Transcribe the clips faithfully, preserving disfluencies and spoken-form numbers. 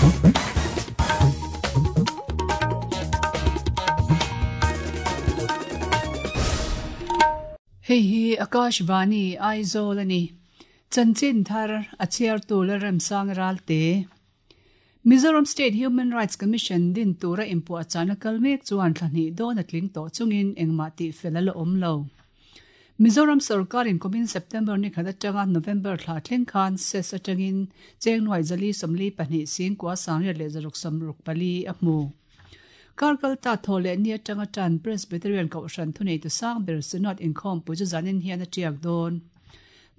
Hei hi Akashvani Aizawl ani. Chanchin thar a chhiartu Lalremsang Ralte. Mizoram State Human Rights Commission din tura inpuahchahna kal mek chuan thlahnih dawn a tling tawh chungin engmah tih fel a la awm lo. Mizoram sarkarin kumin September ni khat atanga November thla thleng khan ses atangin chengnuai zali sawmli pahnih singkua sangriat leh zaruk sawmruk pali a hmu. Karkal ta thole ni atanga tan Presbyterian Kohhran thunei tu sang ber Synod inkhawm pui chu zanin hian a tiak dawn.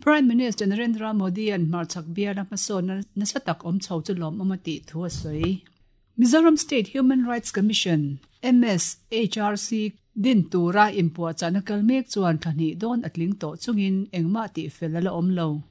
Prime Minister Narendra Modi an hmarchhak biala hmasawn nasa tak awm chho chu lawm awm a tih thu a sawi. Mizoram State Human Rights Commission M S H R C din tura inpuahchahna kal mek chuan thlahnih dawn a tling tawh chungin engmah tih fel a la awm lo.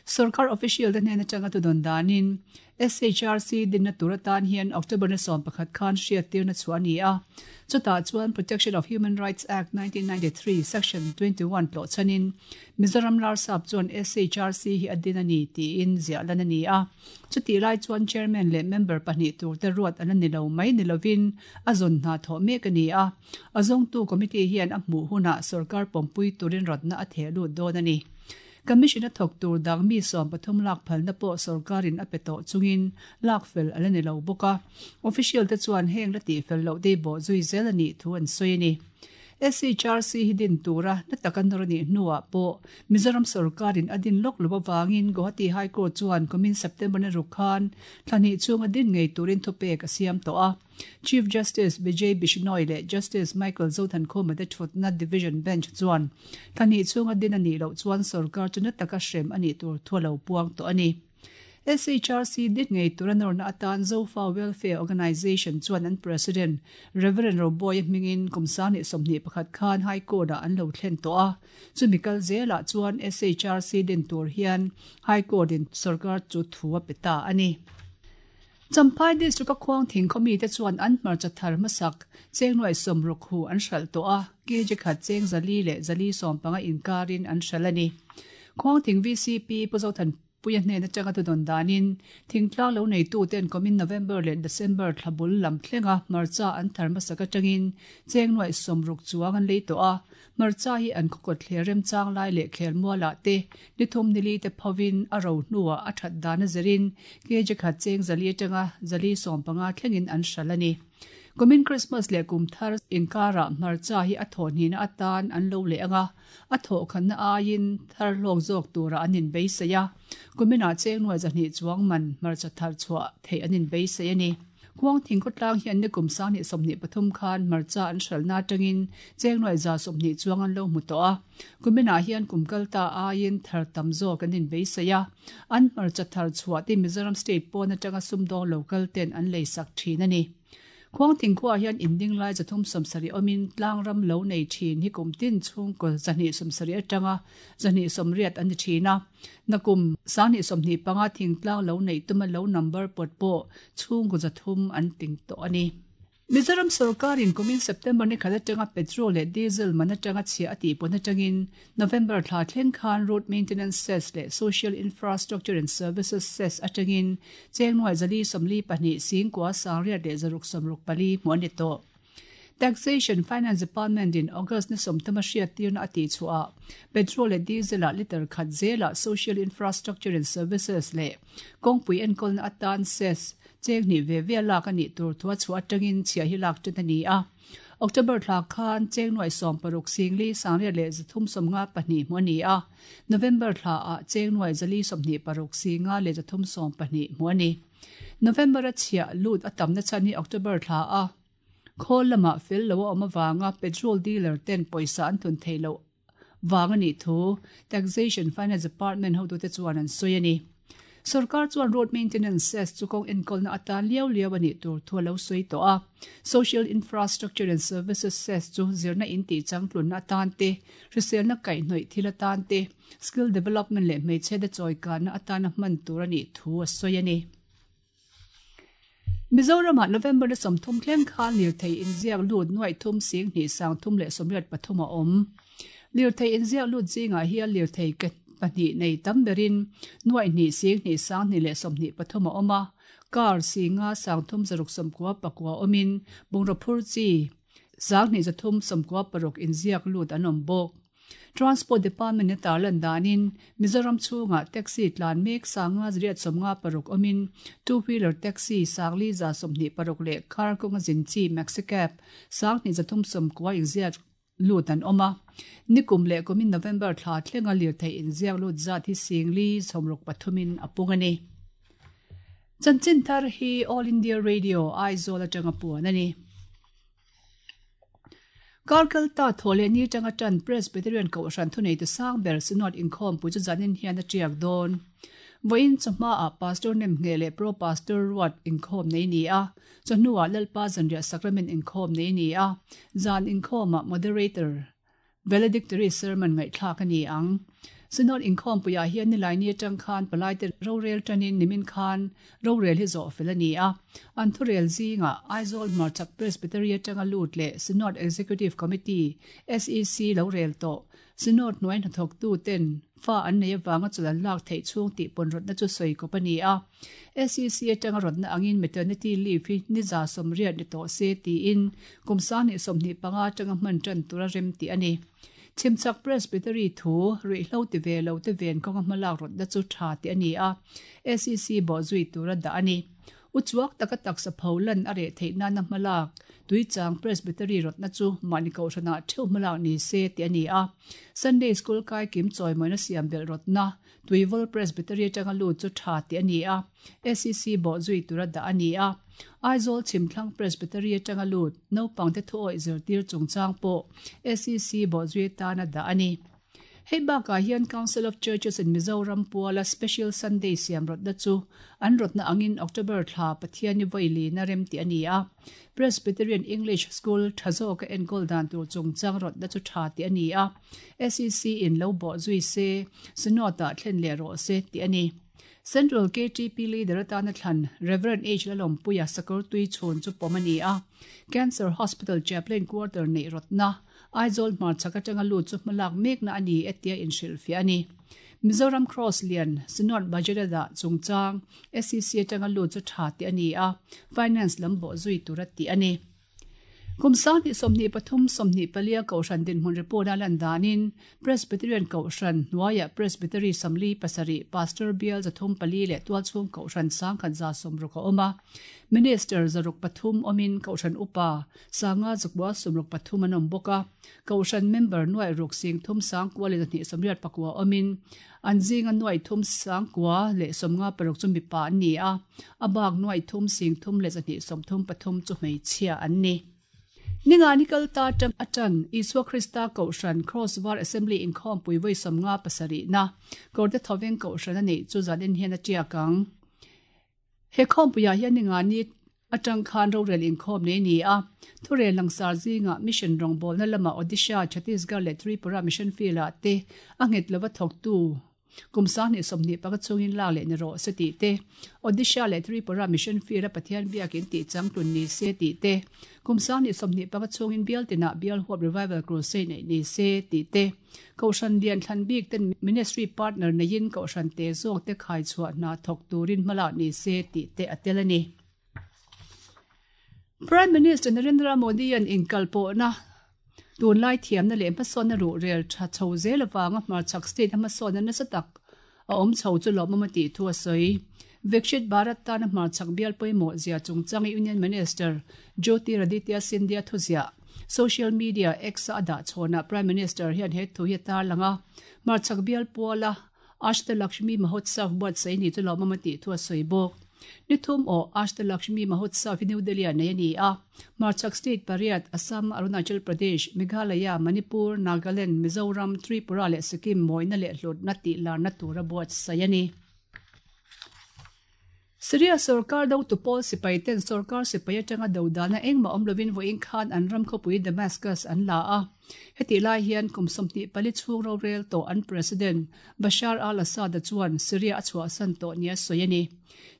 Sarkar official te hnen atanga tu dawn danin S H R C dinna tur atan hian October na sawm pakhat khan hriat tirna chu a ni a. Chutah chuan Protection of Human Rights Act nineteen ninety-three Section twenty-one tlawh chanin Mizoram Larsap chuan S H R C hi a din a ni tiin ziah lan a ni a. Chuti lai chuan chairman leh member pahnih tur te ruat an ni lo mai ni lovin a zawn hna thawh mek a ni a. A zawngtu committee hian a hmuh hunah sarkar pawmpui turin rawtna a theh lut dawn a ni. Commission a thawk tur dang mi sawm pathum lak phalna pawh sarkarin a pe tawh chungin lak fel a la ni lo bawk a. Official te chuan heng la tih fel loh dei bawh zui zel a nih thu an sawi a ni. S H R C hi din tura na taka nawr a nih hnuah pawh Mizoram sarkarin a din lawk lo awangin Guwahati High Court chuan kumin September na ruk khan thlahnih chung a din ngei turin thupek a siam tawh a. Chief Justice Vijay Bishnoi leh Justice Michael Zothankhuma te thutna Division Bench chuan thlahnih chung a din a nih loh chuan sarkar chu na taka hrem a nih tur thu a lo puang tawh a ni. S H R C din ngei tura nawrna atan Zofa Welfare Organization chuan an President Reverend Roboy hmingin kumsang ni sawmhnih pakhat khan High Court ah an lo thlen tawh a. Chumi kal zelah chuan S H R C din tur hian High Court in sarkar chu thu a pe ta a ni. Champhai District a khuang thing khawmi te chuan an hmarcha thar hmasak chengnuai sawmruk hu an hral tawh a. Kg khat cheng zali leh zali sawm panga inkarin an hral a ni. Khuang thing V C P Pu Zothan Puia hnen atanga tu dawn danin thingtlang lo nei tu ten kumin November leh December thlabul lam thlenga hmarcha an thar hmasak atangin chengnuai sawmruk chuang an lei tawh a. Hmarcha hi an khawkawt thler remchang lai leh khelmualah te nithum nili te phovin a ro hnuah a that dan a zirin kg khat cheng zali atanga zali sawm panga thlengin an hral a ni. Kumin Christmas leh kum thar inkara hmarcha hi a thawh hnihna atan an lo leh anga a thawh khanna aiin thar hlawk zawk tura an inbeisei a. Kuminah chengnuai zahnih chuang man hmarcha thar chhuah theih an inbeisei a ni. Khuang thing khawtlang hian ni kum sang hnih sawmhnih pathum khan hmarcha an hralna atangin chengnuai za sawmhnih chuang an lo hmu tawh a. Kuminah hian kum kal ta aiin thar tam zawk an inbeisei a. An hmarcha thar chhuah te Mizoram State pawn atanga sumdawng local ten an leisak thin a ni. Khuang thing khuah hian inding lai zathum sawmsarih awmin tlang ram lo nei thin hi kum tin chhungkaw zahnih sawmsarih atanga zahnih sawmriat an ni thin a. Nakum sanghnih sawmhnih panga thingtlang lo nei tuma lo number pawt pawh chhungkaw zathum an ting tawh a ni. Mizoram sarkarin kumin September ni khat atanga petrol leh diesel man atanga chhia a tih pawn atangin November thla thleng khan road maintenance cess leh social infrastructure and services cess atangin chengnuai zali sawmli pahnih singkua sangriat leh zaruk sawmruk pali hmuh a ni tawh. Taxation Finance Department in August ni sawmthum a hriat tirna a tih chhuah petrol leh diesel ah liter khat zelah social infrastructure and services leh kawngpui enkawlna atan cess cheng hnih ve ve lak a nih tur thu a chhuah atangin chhia hi lak ṭan a ni a. October thla khan chengnuai sawm paruk singli sangriat leh zathum sawmnga pahnih hmuh a ni a. November thla ah chengnuai zali sawmhnih paruk singa leh zathum sawm pahnih hmuh a ni. November a chhia lut a tamna chan hi October thla a khawl lamah fel lo a awm awanga petrol dealer ten pawisa an thun thei lo wang a nih thu Taxation Finance Department hotute chuan an sawi a ni. Sarkar chuan road maintenance cess chu kawng enkawlna atan liau liau a nih tur thu a lo sawi tawh a. Social infrastructure and services cess chu zirna in tih changtlunna atan te, hriselna kaihhnawih thil atan te, skill development leh hmeichhe te chawikanna atana hman tur a nih thu a sawi a ni. Mizoramah November na sawmthum thleng khan lirthei inziak lut nuai thum sing hnih sang thum leh sawmriat pathum a awm. Lirthei inziak lut zingah hian lirthei ke pahnih nei tam berin nuai hnih sing hnih sang hnih leh sawmhnih pathum a awm a. Car singa sangthum zaruk sawmkua pakua awmin bungraw phur chi sanghnih zathum sawmkua paruk inziak lut an awm bawk. Transport Department a tarlan danin Mizoram chhungah taxi tlan mek sanga zariat sawmnga paruk awmin two wheeler taxi sangli za sawmhnih paruk leh car kawnga zin chi maxi cab sanghnih zathum sawmkua inziak lut an awm a. Nikum leh kumin November thla thlenga lirthei inziak lut zat hi singli sawmruk pathumin a pung a ni. Chanchin thar hi All India Radio Aizawl atanga puan a ni. Karkalta thawleh ni atanga tan Presbyterian Kohhran thunei tu sang ber Synod inkhawmpui chu zanin hian a tiak dawn. Vawiin chawhmaah Pastor Nemnge leh Pro Pastor Ruat inkhawm nei ni a, chawhnuah Lalpa Zanriah Sacrament inkhawm nei ni a, zan inkhawmah Moderator Valedictory Sermon ngaihthlak a ni ang. Synod inkhawmpuiah hian nilai ni atang khan palaite rorel tanin nimin khan rorel hi zawh fel a ni a. An thurel zingah Aizawl Hmarchhak Presbytery atanga lut leh Synod Executive Committee, S E C, lo rel tawh. Synod hnuai hnathawktu ten fa an nei avanga chawlh an lak theih chhung tih pawn rawtna chu sawi kawp a ni a. S E C atanga rawtna angin maternity leave hi ni za sawmriat ni tawh se tiin kum sanghnih sawmhnih panga atanga hman tan tura rem tih a ni. Chhimchhak Presbytery thu ruihhlo ti ve lo te ven kawnga hmalak rawtna chu tha tih a ni a, S E C bawhzui tura dah a ni. Uchuak taka taksa pho lan a reh theih nana hmalak Tuichang Presbytery rawtna chu mahni kohhranah theuh hmalak ni se tih a ni a. Sunday School kai kim chawimawina siam belh rawtna Tuivawl Presbytery atanga lut chu tha tih a ni a, S E C bawhzui tura dah a ni a. Aizawl Chhimthlang Presbytery atanga lut naupangte thuawih zirtir chungchang pawh S E C bawhzui atana dah a ni. Hei bakah hian Council of Churches in Mizoram puala Special Sunday siam rawtna chu an rawtna angin October thla Pathiani vawi lina rem tih a ni a. Presbyterian English School tha zawka enkawl dan tur chungchang rawtna chu tha tih a ni a. S E C in lo bawhzui se, Synod-ah thlen leh rawh se tih a ni. Central K T P leader atana thlan Reverend H Lalawmpuia sakawr tui chhun chu pawm a ni a. Cancer Hospital Chaplain Quarter neih rawtna Aizawl Hmarchhak atanga lut chu hmalak mekna a ni etia inhrilhfiah a ni. Mizoram Cross Lian Synod Budget a dah chungchang S E C atanga lut chu tha tih a ni a, Finance lam bawhzui tura tih a ni. Kum sanghnih sawmhnih pathum sawmhnih palia Kohhran dinhmun report a lan danin Presbyterian Kohhran hnuaiah Presbytery Samli pasarih Pastor Bial zathum pali leh tualchhung Kohhran sangkhat za sawmruk a awm a. Minister zaruk pathum awmin Kohhran upa sanga zakua sawmruk pathum an awm bawk a. Kohhran member nuai ruk sing thum sangkua leh zahnih sawmriat pakua awmin an zinga nuai thum sangkua leh sawmnga paruk chu mipa an ni a. A bak nuai thum sing thum leh zahnih sawmthum pathum chu hmeichhia an ni. Ninga nikal ta tang atan Isua Krista Kohhran Crossbar Assembly inkhawmpui vawi sawmnga pasarih na Kawrte Thawveng Kohhran a neih chu zanin hian a tiak ang. He khawmpuiah hian ninga ni atang khan rorel inkhawm nei ni a. Thurel langsar zinga mission rawngbawlna lama Odisha, Chhattisgarh leh Tripura mission field ah te a nghet lova thawktu kum sanghnih sawmhnih panga chungin lak leh ni rawh se tih te, Odisha leh Tripura mission field a Pathian biakin tih changtlun ni se tih te, kum sanghnih sawmhnih panga chungin bial tinah bial huap revival crusade neih ni se tih te, Kohhran lian thlan bik ten ministry partner neiin Kohhran te zawk te khai chhuah hna thawk turin hmalak ni se tih te a tel a ni. Prime Minister Narendra Modi an inkalpawhna tunlai thiamna leh hmasawnna ruhrel tha chho zel avanga Hmarchhak state a hmasawnna nasa tak a awm chho chu lawmawm a tih thu a sawi. Viksit Bharat tana Hmarchhak bial pawimawh zia chungchang Union Minister Jyotiraditya Scindia thuziah social media X a dah chhawnah Prime Minister hian he thu hi a tarlang a. Hmarchhak bial puala Ashtalakshmi Mahotsav buatsaih ni chu lawmawm a tih thu a sawi bawk. Nithum aw Ashtalakshmi Mahotsav hi New Delhi ah nei a ni a. Hmarchhak state pariat Assam, Arunachal Pradesh, Meghalaya, Manipur, Nagaland, Mizoram, Tripura leh Sikkim mawina leh hlutna tih larna tura buatsaih a ni. Syria sarkar do tu pawl sipai ten sarkar sipai atanga do dana engmah awm lovin vawiin khan an ram khawpui Damascus an la a. Hetih lai hian kum sawmhnih pali chhung rorel tawh an President Bashar al-Assad-a chuan Syria a chhuahsan tawh nia sawi a ni.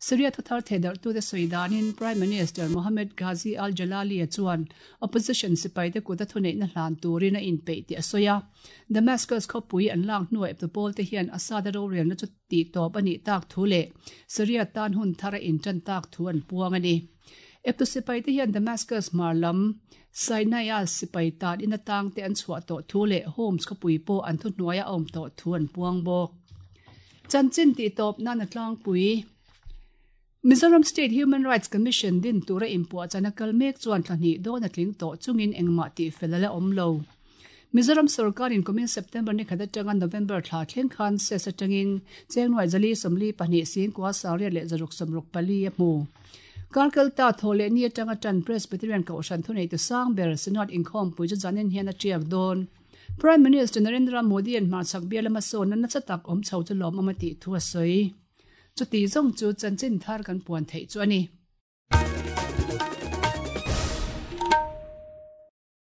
Syria thuthar thehdarhtute sawi danin Prime Minister Mohammed Ghazi al-Jalali-a chuan opposition sipaite kuta thuneihna hlan turin a inpeih tih a sawi a. Damascus khawpui an lak hnuah eptu pawlte hian Assad-a rorelna chu tihtawp a nih tak thu leh Syria tan hun thar a intan tak thu an puang a ni. Eptu sipaite hian Damascus hmar lam Saydnaya sipai tan in atang te an chhuah tawh thu leh Homs khawpui pawh an thuhnuai a awm tawh thu an puang bawk. Chanchin tihtawp nan a tlangpui. Mizoram State Human Rights Commission din tura inpuahchana kal mek chuan thla hnih dawn a tling tawh chungin engmah tihfel a la awm lo. Mizoram sorkarin kumin September ni khat atanga November thla thleng khan cess atangin chengnuai zali sawmli pahnih singkua sangriat leh zaruk sawmruk pali a hmu. Karkalta thaw leh ni atanga tan Presbyterian Kohhran thuneitu sang ber Synod inkhawmpui chu zanin hian a tiak dawn. Prime Minister Narendra Modi an hmarchhak bial lama sawn nasa tak awm chho chu lawm awm a tih thu a sawi. Chuti zawng chu chanchin thar kan puan theih chu a ni.